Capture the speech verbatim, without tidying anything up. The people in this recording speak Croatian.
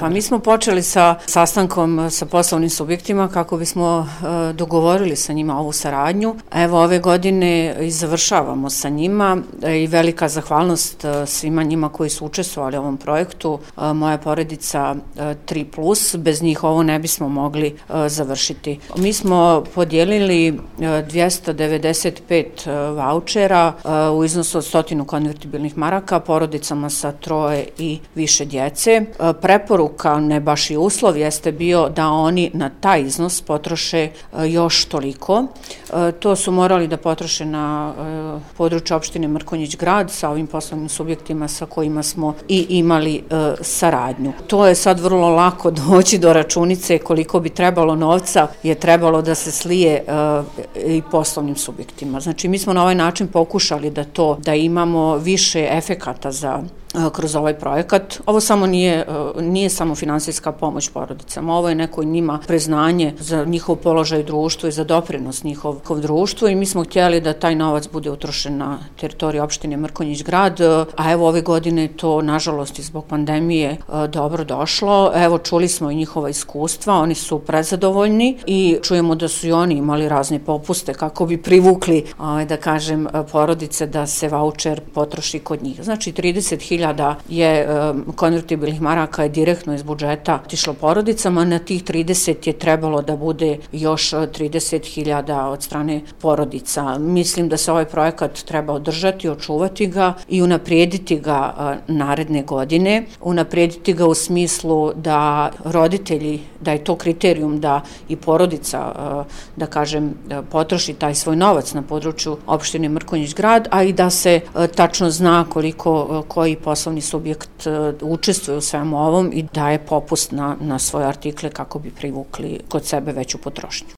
Pa mi smo počeli sa sastankom sa poslovnim subjektima kako bismo e, dogovorili sa njima ovu saradnju. Evo ove godine i završavamo sa njima e, i velika zahvalnost e, svima njima koji su učestvovali u ovom projektu. E, moja porodica e, tri plus, bez njih ovo ne bismo mogli e, završiti. Mi smo podijelili e, dvjesto devedeset pet e, vaučera e, u iznosu od stotinu konvertibilnih maraka porodicama sa troje i više djece. E, preporu Preporuka, ne baš i uslov, jeste bio da oni na taj iznos potroše još toliko. To su morali da potroše na području opštine Mrkonjić Grad sa ovim poslovnim subjektima sa kojima smo i imali saradnju. To je sad vrlo lako doći do računice koliko bi trebalo novca je trebalo da se slije i poslovnim subjektima. Znači mi smo na ovaj način pokušali da to, da imamo više efekata za kroz ovaj projekat. Ovo samo nije, nije samo finansijska pomoć porodicama, ovo je neko njima priznanje za njihov položaj u društvu i za doprinos njihov društvu i mi smo htjeli da taj novac bude utrošen na teritoriju opštine Mrkonjić Grad, a evo ove godine to nažalost i zbog pandemije dobro došlo. Evo čuli smo i njihova iskustva, oni su prezadovoljni i čujemo da su i oni imali razne popuste kako bi privukli, da kažem, porodice da se vaučer potroši kod njih. Znači trideset hiljada je konvertibilnih maraka je direktno iz budžeta otišlo porodicama, na tih trideset je trebalo da bude još trideset hiljada od strane porodica. Mislim da se ovaj projekat treba održati, očuvati ga i unaprijediti ga naredne godine, unaprijediti ga u smislu da roditelji, da je to kriterijum da i porodica, da kažem, potroši taj svoj novac na području opštine Mrkonjić Grad, a i da se tačno zna koliko koji poslovni subjekt učestvuje u svemu ovom i daje popust na, na svoje artikle kako bi privukli kod sebe veću potrošnju.